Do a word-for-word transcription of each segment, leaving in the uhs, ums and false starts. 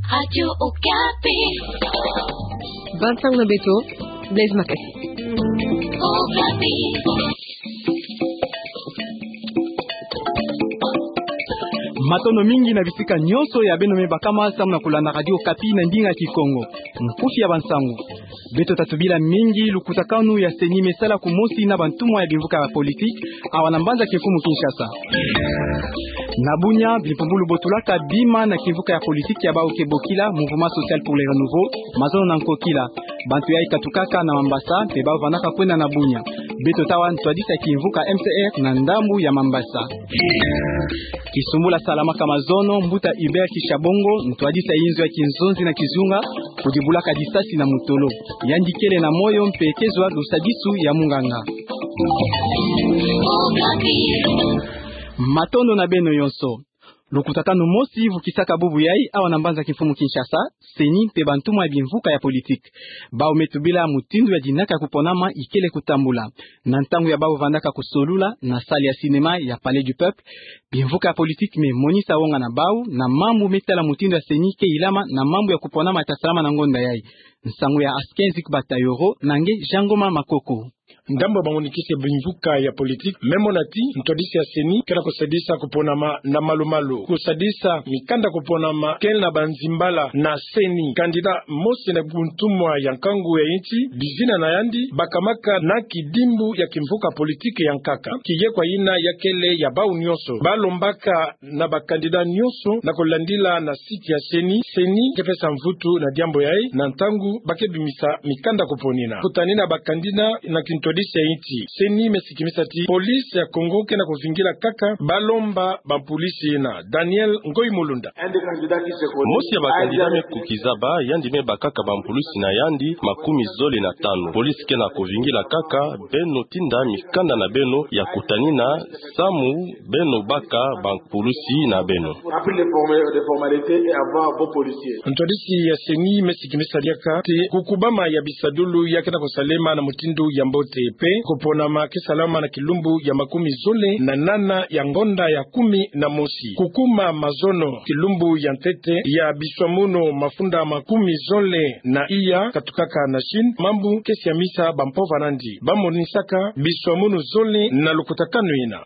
Radio Okapi. Bansango na beto, Blaise Makasi. Okapi. Matondo mingi na bisika nyonso ya beno me bakama samu na kulanda Radio Okapi na ndinga Kikongo. Nkufi ya bansango. Beto tatubila mingi lukutakanu ya CENI me sala kumosi na bantumwa ya bimvuka ya politiki, awa na mbanza kimfumu Kinshasa. Na Bunia, bimpumbulu botulaka bima na kimvuka ya politiki ya bau ke bokila Mouvement Social pour le Renouveau, mazono na nkokila. Bantu yayi katukaka na Mambasa, mpe bau vandaka kwenda na Bunia. Beto tawa ntwadisi ya kimvuka MCR na ndambu ya Mambasa. Kisumbula salamaka mazono, mbuta Hubert Kishabongo, ntwadisi ya inzo ya kinzonzi na kizunga, kudibulaka disasi na mutolo. Yandi kele na moyo mpe kezwa lusadisu ya munganga. Matondo na beno yonso. Lukutakanu mosi vukisaka bubu yayi awa na mbanza kimfumu Kinshasa, CENI mpe bantumwa ya bimvuka ya politiki. Bau me tubila mutindu ya dinaka ya kuponama ikele kutambula. Na ntangu ya bau vandaka kusolula na salle ya cinéma ya Palais du Peuple, bimvuka ya politiki me monisa wonga na bau na mambu me tala mutindu ya CENI ke ilama na mambu ya kuponama ya tasalama na ngonda yayi. Nsangu ya Askenzik Batayoro na nge Jangoma Makoko. Ndambu ya banguniki ya bimvuka ya politiki me mona ti ntwadisi ya CENI kele kusadisa kuponama na malu-malu. Kusadisa mikanda kuponama kele na banzimbala na CENI. Kandida mosi na buntumwa ya nkangu ya insi, bizina na yandi bakamaka na kidimbu ya kimvuka politiki ya nkaka. Kiye kwa yina ya kele ya bau nyonso. Balombaka na bakandida nyonso na kulandila na site ya CENI. CENI ke pesa mvutu na diambu yayi na ntangu ba ke bimisa mikanda kuponina. Kutanina bakandida na kintwadisi ya insi, CENI me sikimisa ti police ya Congo ke na kuvingila kaka balomba bampulisi yina. Daniel Ngoyi Mulunda. Mosi ya bakandida me kukiza ba, yandi me bakaka bampulisi na yandi makumi zole na tanu. Police ke na kuvingila kaka beno tinda mikanda na beno ya kutanina samu beno baka bampulisi na beno. Ntwadisi ya CENI me sikimisa diaka ti kukubama ya bisadulu ya ke na kusalema na mutindu ya mbote, mpe kuponama ke salama na kilumbu ya makumi zole na nana ya ngonda ya kumi na mosi. Kukuma mazono kilumbu ya ntete ya biswamunu mafunda makumi zole na iya katukaka na Chine, mambu ke siamisa bampova nandi. Ba monisaka biswamunu zole na lukutakanu yina.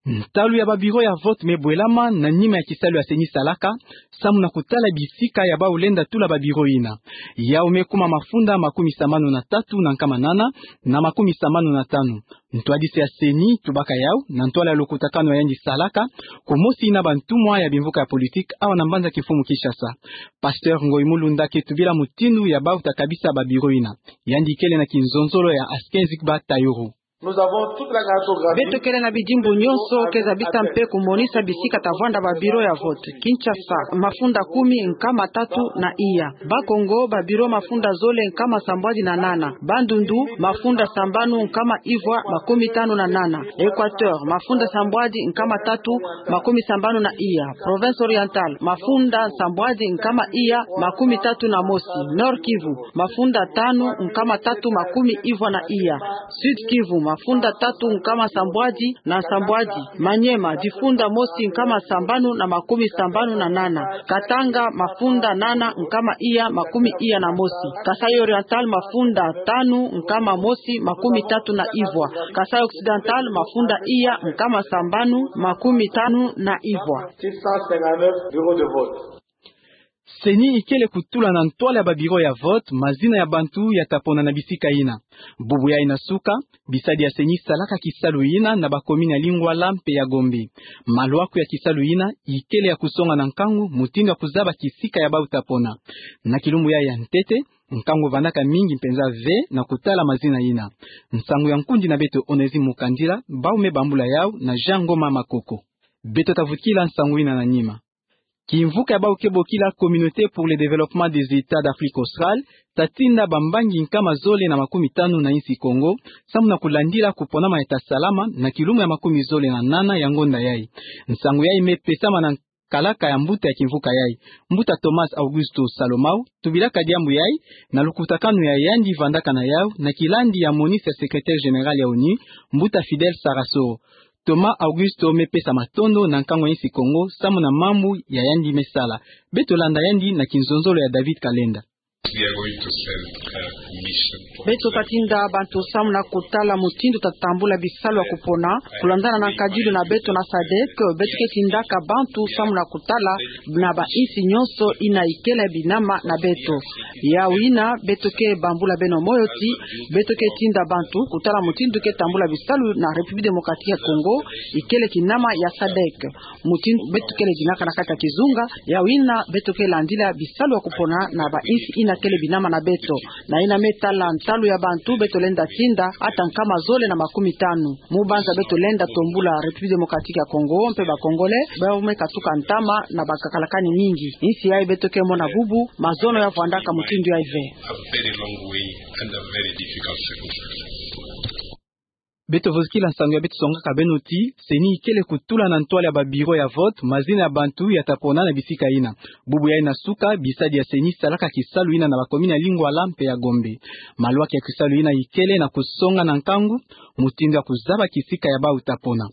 Ntalu ya ba bureau ya vote me bwelama na nima ya kisalu ya CENI salaka, samu na kutala bisika ya bau lenda tula ba bureau yina. Yau me kuma mafunda makumi sambanu na tatu na nkama nana na makumi sambanu na tanu. Ntwadisi ya CENI tubaka yau na ntwala ya lukutakanu ya yandi salaka kumosi na bantumwa ya bimvuka ya politiki awa na mbanza kimfumu Kinshasa. Pasteur Ngoyi Mulunda ke tubila mutindu ya bau ta kabisa ba bureau yina. Yandi kele na kinzonzolo ya Askenzik Batayoro. Beto kele na bidimbu nyonso ke zabisa mpe kumonisa bisika ta vwanda ba bureau ya vote. Kinshasa, mafunda kumi nkama tatu na iya. Bas-Congo, ba bureau mafunda zole nkama sambwadi na nana. Bandundu, mafunda sambanu nkama ivwa makumi tanu na nana. Equateur, mafunda sambwadi nkama tatu makumi sambanu na iya. Province Orientale, mafunda sambwadi nkama iya makumi tatu na mosi. Nord-Kivu, mafunda tanu nkama tatu makumi ivwa na iya. Sud-Kivu, mafunda tatu nkama sambwadi na sambwadi. Maniema, difunda mosi nkama sambanu na makumi sambanu na nana. Katanga, mafunda nana nkama iya makumi iya na mosi. Kasaï Oriental, mafunda tanu nkama mosi makumi tatu na ivwa. Kasaï Occidental, mafunda iya nkama sambanu makumi tanu na ivwa. CENI ikele kutula na ntwala ya ba bureau ya vote mazina ya bantu ya ta pona na bisika yina. Bubu yayi na suka, bisadi ya CENI salaka kisalu yina na ba commune ya Lingwala mpe ya Gombe. Malwaku ya kisalu yina ikele ya kusonga na nkangu mutindu ya kuzaba kisika ya bau ta pona. Na kilumbu yayi ya ntete, nkangu vandaka mingi mpenza ve na kutala mazina yina. Nsangu ya nkundi na beto Onésime Mukandila, bau me bambula yau na Jean Ngoma Makoko. Beto ta vukila nsangu yina na nima. Kimvuka ya bau ke bokila Communauté pour le développement des États d'Afrique australe ta tinda bambangi nkama zole na makumi tanu na insi Kongo, samu na kulandila kuponama ya ta salama na kilumbu ya makumi zole na nana ya ngonda yayi. Nsangu yayi me pesama na kalaka ya mbuta ya kimvuka yayi. Mbuta Thomas Augusto Salomao tubilaka diambu yayi na lukutakanu ya yandi vandaka na yau na kilandi ya monisi ya secrétaire général ya ONU, mbuta Fidel Sarasoro. Thomas Augusto me pesa matondo na nkangu ya insi Kongo samu na mambu ya yandi me sala. Beto landa yandi na kinzonzolo ya David Kalenda. Beto ta tinda bantu samu na kutala mutindu ta tambula bisalu ya kupona, kulandana na nkadilu na beto na sadek. Beto ke tindaka bantu samu na kutala na ba insi nyonso ina ikele binama na beto. Yau ina beto ke bambula beno moyo ti beto ke tinda bantu kutala mutindu ke tambula bisalu na République Démocratique ya Congo, ikele kinama ya sadek. Mutindu beto kele dinaka na kati ya kizunga, yau ina beto ke landila bisalu ya kupona na ba insi ina kele binama na beto. Na ina me tala ntalu ya bantu beto lenda tinda, ata nkama zole na makumi tanu. Mu banza beto lenda tombula République Démocratique ya Congo mpe ba Congolais bau me katuka ntama na ba kakalakani mingi. Insi yai beto ke mona bubu mazono ya vwandaka mutindu yai ve. Beto vozikila nsangu ya beto songaka beno ti CENI ikele kutula na ntwala ya ba bureau ya vote mazina ya bantu ya ta pona na bisika ina. Bubu yai na suka, bisadi ya CENI salaka kisalu ina na ba commune ya Lingwala mpe ya Gombe. Malwaki ya kisalu ina ikele na kusonga na nkangu mutindu ya kuzaba kisika ya bau ta pona.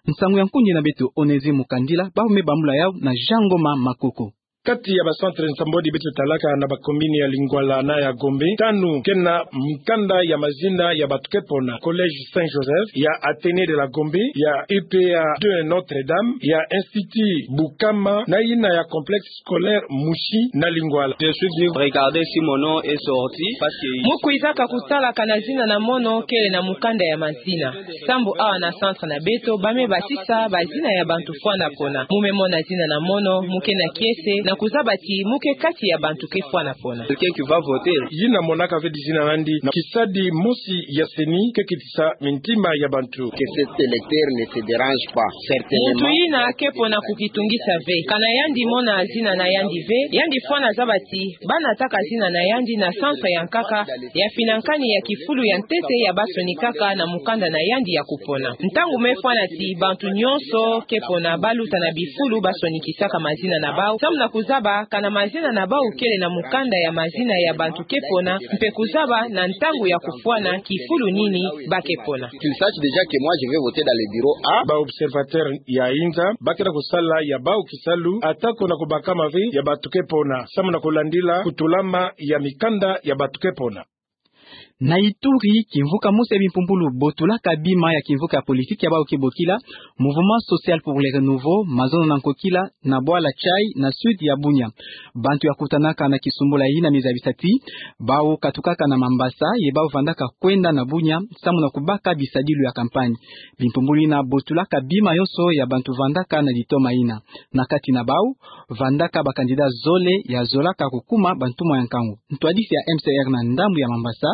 Nsangu ya nkundi na beto Onésime Mukandila, bau me bambula yau na Jean Ngoma Makoko. Kati ya ba centre nsambwadi beto talaka na ba commune ya Lingwala na ya Gombe, tanu ke na mukanda ya mazina ya bantu ke pona: Collège Saint Joseph, ya Athénée de la Gombe, ya UPA deux Notre-Dame, ya Institut Bukama, na ina ya Complexe Scolaire Mushi na Lingwala. Je suis venu regarder si mon nom est sorti parce que mu kwizaka kutala kana zina na mono kele na mukanda ya mazina. Sambu awa na centre na beto ba me basisa ba zina ya bantu fwana pona. Mu me mona zina na mono mu ke na kiese na kuzaba ti mu ke kati ya bantu ke fwana pona. Quelqu'un qui va voter. Yina monaka ve dizina na yandi na kisadi mosi ya CENI ke kitisa mintima ya bantu. Que cet électeur ne se dérange pas, certainement. Muntu yina ke pona kukitungisa ve. Kana yandi mona zina na yandi ve, yandi fwana zaba ti ba nataka zina na yandi na centre ya nkaka ya finankani ya kifulu ya ntete ya ba sonikaka na mukanda na yandi ya kupona. Ntangu me fwana ti bantu nyonso ke pona ba luta na bifulu ba sonikisaka mazina na bau, samu na kuzaba kana mazina na bau kele na mukanda ya mazina ya bantu ke pona, mpe kuzaba na ntangu ya kufwana kifulu nini ba ke pona. Qu'il sache déjà que moi je vais voter dans le bureau A. Ba observateur ya inza ba ke na kusala ya bau kisalu, atako na kubakama ve ya bantu ke pona, samu na kulandila kutulama ya mikanda ya bantu ke pona. Na Ituri, kimvuka mosi ya bimpumbulu botulaka bima ya kimvuka ya politiki ya bau ke bokila Mouvement Social pour le Renouveau, mazono na nkokila na bwala Tchai na sud ya Bunia. Bantu ya kutanaka na kisumbula yina me zabisa ti bau katukaka na Mambasa, ye bau vandaka kwenda na Bunia samu na kubaka bisadilu ya campagne. Bimpumbulu yina botulaka bima yonso ya bantu vandaka na ditoma yina. Na kati na bau vandaka ba candidat zole ya zolaka kukuma bantumwa ya nkangu. Ntwadisi ya M C R na ndambu ya Mambasa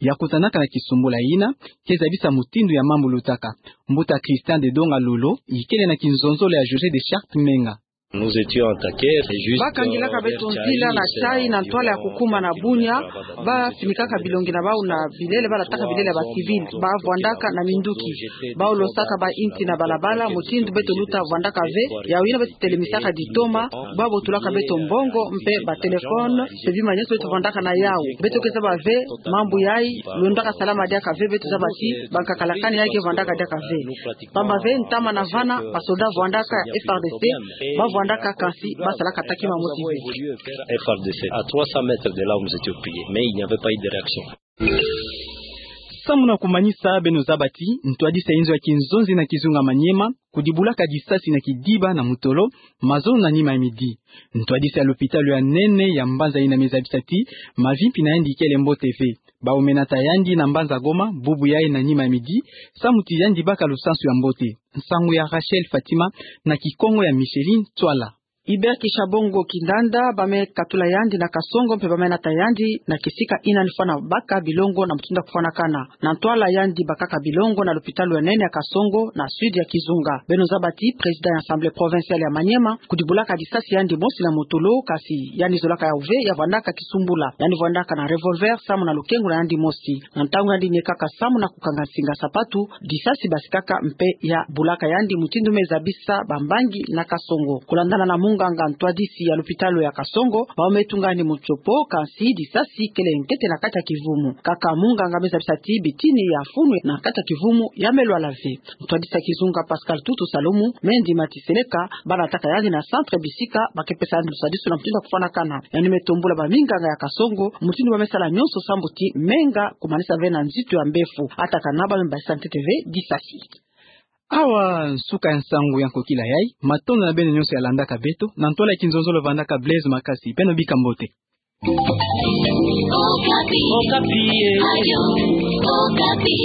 ya kutanaka na kisumbula yina ke zabisa mutindu ya mambu lutaka. Mbuta Christian de Donga Lolo ikele na kinzonzolo ya José de Charte Menga. Nous étions attaqués, c'est juste. Ba kangilaka beto nzila na Tchai na ntwala ya kukuma na Bunia, ba finikaka bilongi na bau na bilele, ba lataka bilele ya ba civil, ba vwandaka na minduki, ba losaka ba inti na balabala, mutindu beto luta vwandaka ve. Yau yina beto telemisaka ditoma, ba botulaka beto mbongo mpe ba téléphone, mpe bima nyonso beto vwandaka na yau. Beto ke zaba ve mambu yai lundaka salama diaka ve, beto zaba ti ba nkakalakani yai ke vwandaka diaka ve. Pamba ve ntama na vana, ba soda vwandaka F R D C, ba vwandaka, kansi ba salaka taki ma moti ve. F R D C, à trois cents mètres de là où nous étions pillés, mais il n'y avait pas eu de réaction. Samu na kumanisa, beno zaba ti ntwadisi ya inzo ya kinzonzi na kizunga Maniema kudibulaka disasi na kidiba na mutolo, mazono na nima ya midi. Ntwadisi ya lopitalo ya nene ya mbanza yina me zabisa ti mavimpi na yandi ikele mbote ve. Bau me nata yandi na mbanza Goma bubu yai na nima ya midi, samu ti yandi baka lusansu ya mbote. Nsangu ya Rachel Fatima na Kikongo ya Micheline Twala. Hubert Kishabongo Kindanda, ba me katula yandi na Kasongo mpe ba me nata yandi na kisika yina ni fwana baka bilongo na mutindu ya kufwanakana. Na ntwala yandi bakaka bilongo na lopitalo ya nene ya Kasongo na sud ya kizunga. Beno zaba ti président ya Assemblée provinciale ya Maniema kudibulaka disasi yandi mosi na mutolo, kansi yandi zolaka yau ve, ya vwandaka kisumbula. Yandi vwandaka na revolver samu na lukengu na yandi mosi. Na ntangu yandi niekaka samu na kukanga nsinga sapatu, disasi basikaka mpe ya bulaka yandi, mutindu me zabisa bambangi na Kasongo. Kulandana na mu Nganga ntwadisi ya lopitalo ya Kasongo, bawu me tungani motsopo, kansi disasi kele nkete na kati ya kivumu. Kaka munganga me zabisa ti bitini ya funu na kati ya kivumu ya me lwala ve. Ntwadisi ya kizunga Pascal Tutu Salomo me ndima ti seleka bana taka yandi na centre bisika ba ke pesa yandi lusadisu na mutindu ya kufwanakana. Yandi me tombula baminganga ya Kasongo mutindu ba me sala nyonso sambu ti menga kumanisa ve na nzitu ya mbefu. Atakana ba me basisa ntete ve disasi. Awa nsuka ya nsangu ya nkokila yai. Matondo na beno nyonso ya landaka beto. Na ntwala ya kinzonzolo vandaka Blaise Makasi. Beno bika mbote. Okapi. Okapi, eh. Radio Okapi.